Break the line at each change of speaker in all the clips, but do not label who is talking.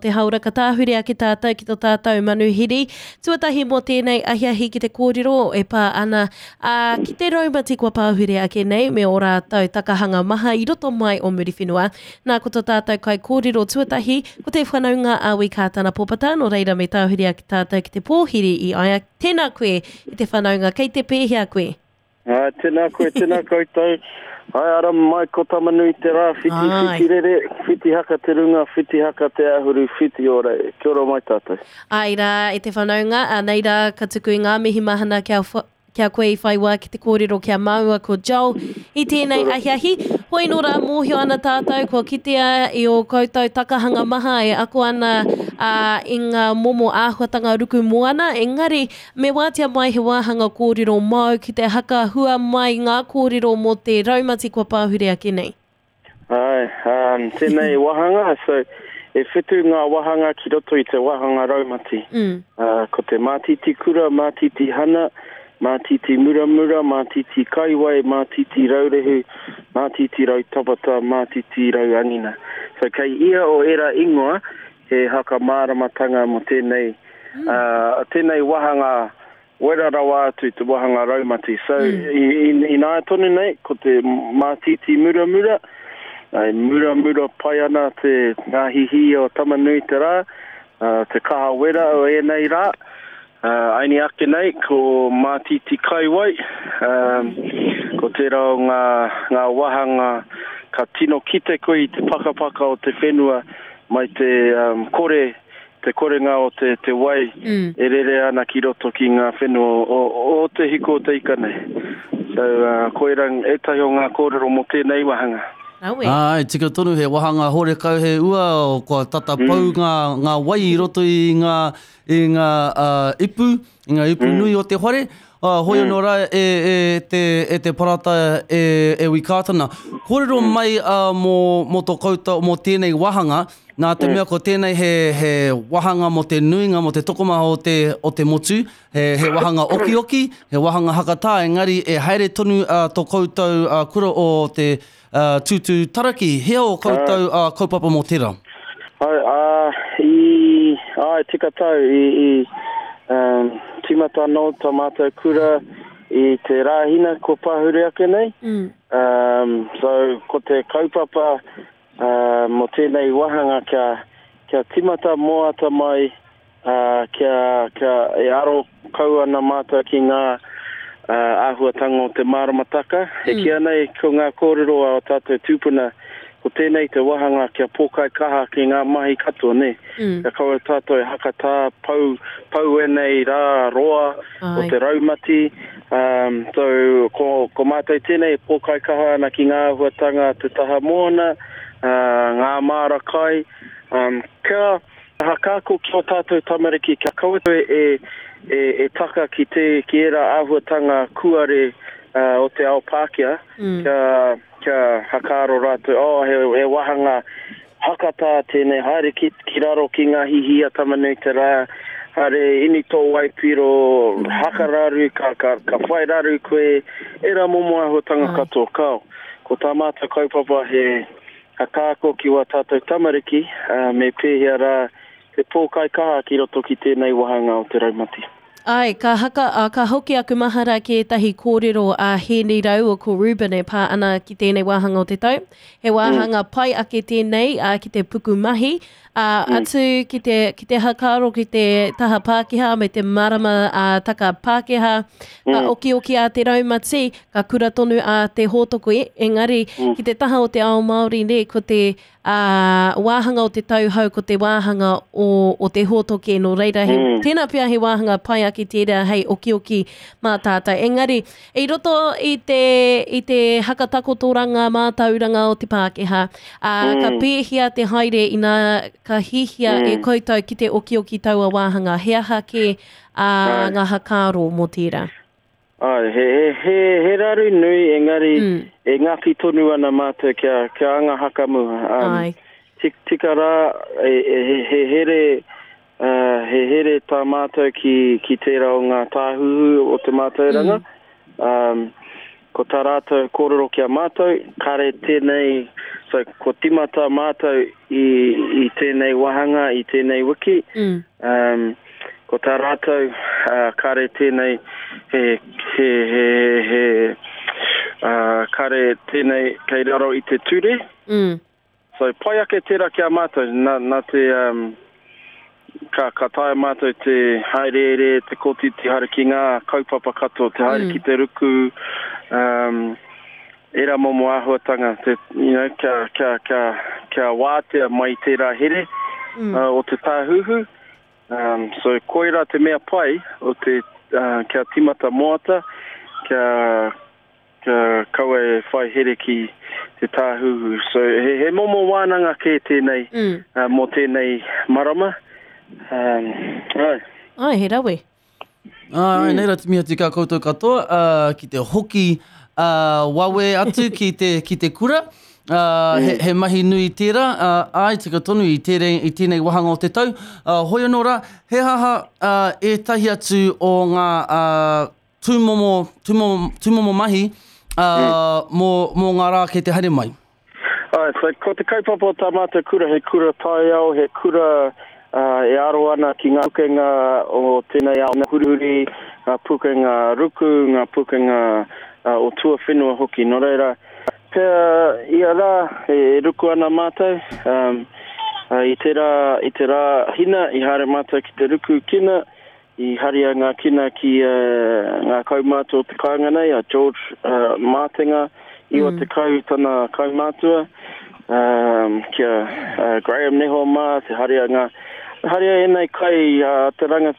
te haora ka tāhure ake tātou ki to tātou manuhiri. Tuatahi mō tēnei ahiahi ki te kōrero e pā ana ā, ki te raumati kua pāhure ake nei me ō rātou takahanga maha i roto mai o Muriwhenua. Nā ko to tātou kaikōrero tuatahi ko te whanaunga a Wi Kātana Popata, nō reira me tāhure ake tātou ki te pōhiri i a ia. Tēnā koe e te whanaunga, kei te pēhea koe?
Ā, tēnā koe, tēnā koutou. Hai ara mai ko Tamanui te rā, whiti, Ai. whiti rere, whiti haka te runga, whiti haka te ahuru, whiti ora e. Kia ora mai tātou.
Ai rā, e te whanaunga, anei rā ka tuku i ngā mihi mahana kia, kia koe i whai wā ki te kōrero ki a māua ko Joel i tēnei ahiahi. Hoi nō rā mōhio ana tātou kua kitea i ō koutou takahanga maha e ako ana ā, i ngā momo āhuatanga ruku moana, engari Me wātea mai he wāhanga kōrero māu ki te haka hua mai ngā kōrero mō te raumati kua pāhure ake nei.
Āe, um, tēnei wāhanga, so, e whitu ngā wāhanga ki roto i te wāhanga raumati. Mm. Uh, ko te mātiti kura, mātiti hana, mātiti muramura, mātiti kaiwai, mātiti raurehu, mātiti rautapata, mātiti rauangina. So, kei ia o ērā ingoa, he whakamāramatanga mō tēnei, mm. uh, tēnei wāhanga wera rawa atu te wāhanga raumati. So, mm. i, i, ināia tonu nei, ko te mātiti muramura, ai, muramura pai ana te ngā hihi o Tamanui te rā, uh, te kaha wera o ēnei rā, uh, aini ake nei, ko mātiti kaiwai, um, ko tērā o ngā, ngā wāhanga ka tino kite koe i te pakapaka o te whenua mai te um, kore, te korenga o te, te wai mm. e rere ana ki roto ki ngā whenua o, o te hiko o te ika nei. So, uh, koira ētahi o ngā kōrero mō tēnei wāhanga.
Rawe. Āe, tika tonu, he wāhanga horekau he ua, kua tata mm. pau ngā, ngā wai i roto i ngā, i ngā uh, ipu, i ngā ipu mm. nui o te whare. Uh, hoi mm. anō rā e, e, te, e te parata e, e Wikātana. Kōrero mm. mai uh, mō, mō tō koutou, mō tēnei wāhanga, nā te mm. mea ko tēnei he, he wāhanga mō te nuinga, mō te tokomaha o te, o te motu, he, he wāhanga okioki, he wāhanga hakatā, engari e haere tonu uh, tō koutou uh, kura o te uh, tūtū taraki. Hea o koutou uh, kaupapa mō tērā?
Ai, uh, i, ai, tika tau, i, i um, tīmata anō tā mātou kura i te Rāhina kua pahure ake nei. Mm. Um, so, ko te kaupapa uh, mō tēnei wāhanga kia, kia tīmata moata mai ā, kia, kia e aro kau ana mātou ki ngā āhuatanga o te māramataka. E kīia nei ko ngā kōrero a ō tātou tūpuna, ko tēnei te wāhanga kia pōkai kaha ki ngā mahi katoa, nē? Mm. Kia kaua tātou e hakatā, pau, pau ēnei rā roa o te raumati. Um, so, ko, ko mātou tēnei e pōkai kaha ana ki ngā āhuatanga te taha moana, uh, ngā māra kai, um, kia, Whakaako ki ō tātou tamariki kia kaua koe e, e, e taka ki te, ki ērā āhuatanga kūare uh, o te ao Pākehā, mm. kia, kia hakaaro rātou, oh, he, he wāhanga hakatā tēnei, haere ki, ki raro ki ngā hihi a Tamanui te rā, haere ini tō waipiro, mm. hakararu, ka, ka, ka whai raru koe, ērā momo āhuatanga katoa, kao. Ko tā mātou kaupapa he, Whakaako ki wā tātou tamariki, ā, me pēhea rā te pōkai kaha ki roto ki tēnei wāhanga o te raumati.
Āe, ka haka, ā, ka hoki aku mahara ki ētahi kōrero a Hēni rāua ko Reuben e pā ana ki tēnei wāhanga o te tau. He wāhanga pai ake tēnei, ā, ki te puku mahi, ā, atu ki te, ki te hakaaro ki te taha Pākehā me te marama, ā, taka Pākehā, ka okioki a te raumati, ka kura tonu a te hōtoko, engari, ki te taha o te ao Māori, nē, ko te, ā, wāhanga o te tau hou, ko te wāhanga o, o te hōtoke, nō reira, he, mm. tēnā pea he wāhanga pai ake tērā hei okioki mā tātou. Engari, i roto i te, i te hakatakotoranga mātauranga o te Pākehā, ā, mm. ka pēhea te haere ina ka hihia mm. e koutou ki te okioki taua wāhanga, he aha kē ā, ngā hakaaro mō tērā?
Āe, he, he, he, he raru nui, engari mm. e ngaki tonu ana mātou kia, kia anga hakamua. Um, Āe. Tik, tika rā, e, e, he, he here, uh, he here tā mātou ki, ki tērā o ngā tāhuhu o te mātauranga. Mm. Um, ko tā rātou kōrero ki a mātou, kare tēnei, so So, kua timata mātou i, i tēnei wāhanga, i tēnei wiki. Mm. Um, ko tā rātou, uh, kare tēnei, he, he, he, he, uh, kare tēnei kei raro i te ture. Mm. So, pai ake tērā ki a mātou, nā, nā te, um, ka, ka taea mātou te haereere, te kotiti haere ki ngā kaupapa katoa, te haere mm. ki te ruku, um, ērā momo āhuatanga, te, you know, kia, kia, kia, kia wātea mai tērā here mm. uh, o te tāhuhu. Um, so, koirā te mea pai o te, uh, kia timata moata, kia Kia kaua e whai here ki te tāhuhu. So, he, he momo wānanga kē tēnei mm. uh, mō tēnei marama. Um,
ai. Ai, he rawe.
Ai, mm. nei rā timi atu kā koutou katoa uh, ki te hoki uh, wawe atu ki te, ki te kura. Uh, he, he mahi nui tērā, uh, ai, tika tonu i, tērei, i tēnei wahanga o te tau. Uh, hoi anō rā, he haha uh, ētahi atu o ngā uh, tūmomo, tūmomo, tūmomo mahi uh, mō, mō ngā rā kei te haere mai?
Ai, so, ko te kaupapa o tā mātou kura, he kura taiao, he kura uh, e aro ana ki ngā pukenga o tēnei ao hurihuri, ngā pukenga ruku, ngā pukenga uh, o tuawhenua hoki. Nō reira, pea ia rā e, e ruku ana mātou, um, uh, i te rā, i te rā hina, i haere mātou ki te ruku kina, I haria ngā kina ki ngā kaumātua o te kāinga nei, a George Mātenga, 90 tana kaumātua, ki a Graham Neho mā, te haria ngā, haria ēnei kai a te ranga,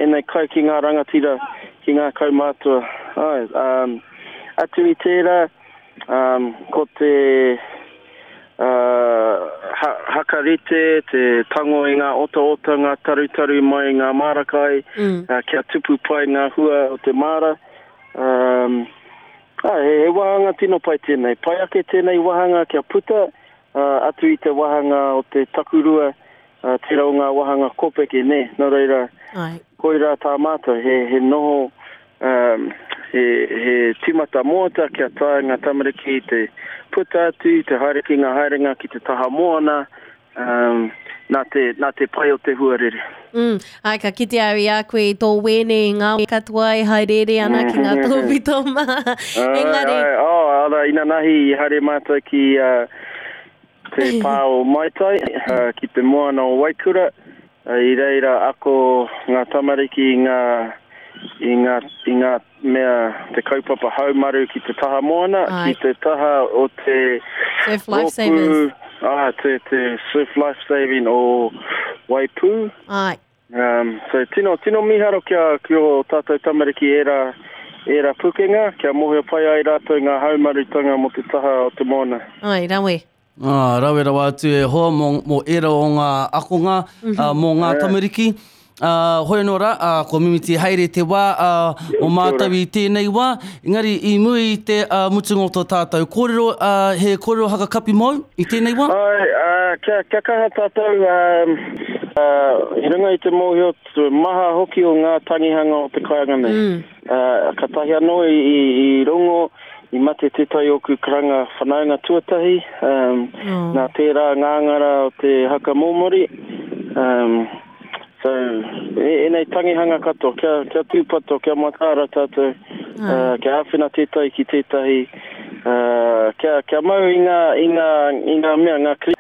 ēnei kai ki ngā rangatira, ki ngā kaumātua. Āe, atu i tērā, ko te Hakarite, te tango i ngā otaota, ngā tarutaru mai i ngā māra kai, kia tupu pai ngā hua o te māra. He, he wāhanga tino pai tēnei. Pai ake tēnei wāhanga kia puta atu i te wāhanga o te takurua, tērā o ngā wāhanga kōpeke, nē. Nō reira, koirā tā mātou, he, he noho Um, he, he tīmata moata kia taea ngā tamariki te puta atu, te haere ki ngā haerenga ki te taha moana, um, nā te, nā te pai o te huarere.
Mm, ai, ka kite au i a koe i tō wēne i ngā katoa e haereere ana ki ngā tōpito mā.
Engari... Ai, ai, oh, ara, inanahi i haere mātou ki uh, te pā o Maitai, uh, ki te moana o Waikura, I reira ako ngā tamariki i ngā, i ngā, i ngā mea, te kaupapa haumaru ki te taha moana, ki te taha o te
Surf Lifesavers.
Ā, te, te Surf Lifesaving o Waipū.
Āe.
Um, so tino, tino mīharo kia, ki ō tātou tamariki ērā, ērā pukenga, kia mōhio pai ai rātou ngā haumarutanga mō te taha o te moana.
Āe, rawe.
Ā, rawe rawa atu e hoa mō, mō ērā o ngā akonga, ā, mō ngā tamariki. Ā, hoi anō rā, ā, kua mimiti haere te wā, ā, o mātou i tēnei wā. Engari, i muri i te ā, mutunga o tō tātou kōrero, ā, he kōrero hakakapi mōu i tēnei wā?
Āe, ā, kia, kia kaha tātou, ā, ā, i runga i te mōhio, te maha hoki o ngā tangihanga o te kāinga nei. Ā, kātahi anō i, i, i rongo, I mate tētahi ōku karanga whanaunga tuatahi, um, oh. nā tērā ngāngara o te haka mōmori. Um, so, e, enei tangihanga katoa, kia, kia tūpato, kia mataara tātou, uh, kia āwhina tētahi ki tētahi, uh, kia, kia mau i ngā, i ngā, i ngā mea, ngā kri,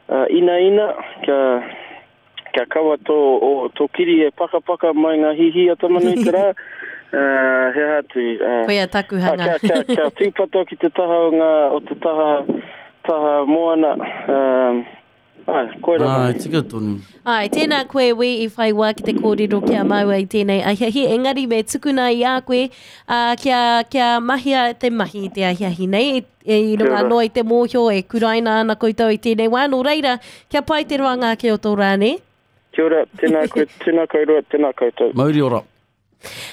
uh, inaina, kia, Kia kaua tō, o, tō kiri e pakapaka mai ngā hihī a Tamanuiterā, uh, he aha atu.
Uh, Koia taku hanga.
Kia, kia, kia tūpato ki te taha o ngā, o te taha, taha moana, um, ai, koira
mai. Ai, tika tonu.
Ai, tēnā koe Wi i whai wā ki te kōrero ki a māua i tēnei ahiahi, engari me tukuna i a koe, uh, kia, kia mahia te mahi i te ahiahi nei, I runga anō i te mōhio e kuraina ana koutou i tēnei wā, nō reira, kia pai te roanga ake o tō rā, nē?
Kia ora, tēnā koe, tēnā kouroa, tēnā koutou.
Mauri ora.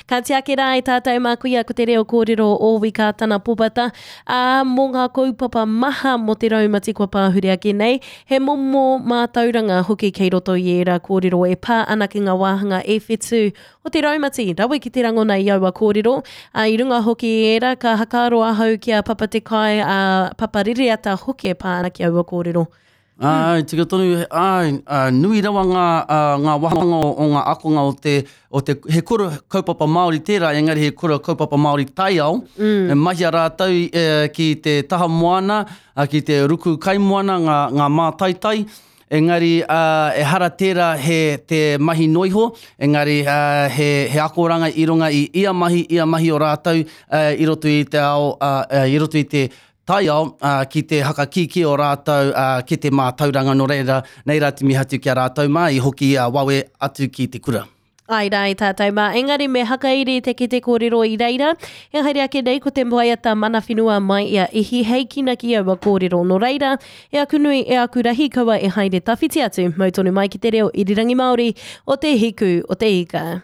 Ka tiaki rā e tātou mā kuia ko te reo kōrero o Wi Kātana Popata, ā, mō ngā kaupapa maha mō te raumati kua pāhure ake nei, he momo mātauranga hoki kei roto i ērā kōrero e pā ana ki ngā wāhanga e whetū o te raumati, rawe ki te rangona i aua kōrero, ā, i runga hoki i ērā ka hakaaro ahau ki a Papa Te Kai, a Papa Rereata hoki e pā ana ki aua kōrero.
Āe, tika tonu, āe, nui rawa ngā, ngā wāhanga o ngā akonga o te, o te, he kura kaupapa Māori tērā, engari he kura kaupapa Māori taiao, mm. e mahia rātou e, ki te taha moana, ki te ruku kaimoana, ngā, ngā mātaitai, engari uh, ehara tērā he te mahi noiho, engari uh, he, he akoranga i runga i ia mahi, ia mahi o rātou uh, i roto i te ao, uh, i roto i te taiao, ā, ki te hakakīkī o rātou, ā, ki te mātauranga, nō reira, nei rā te mihi atu ki a rātou mā, i hoki a wawe atu ki te kura.
Āe rā i tātou mā, engari me hakairi te kete kōrero i reira, e haere ake nei ko te waiata mana whenua mai i a Ihi hei kīnaki aua kōrero. Nō reira, e aku nui, e aku rahi, kaua e haere tawhiti atu, mau tonu mai ki te reo irirangi Māori o te hiku o te ika.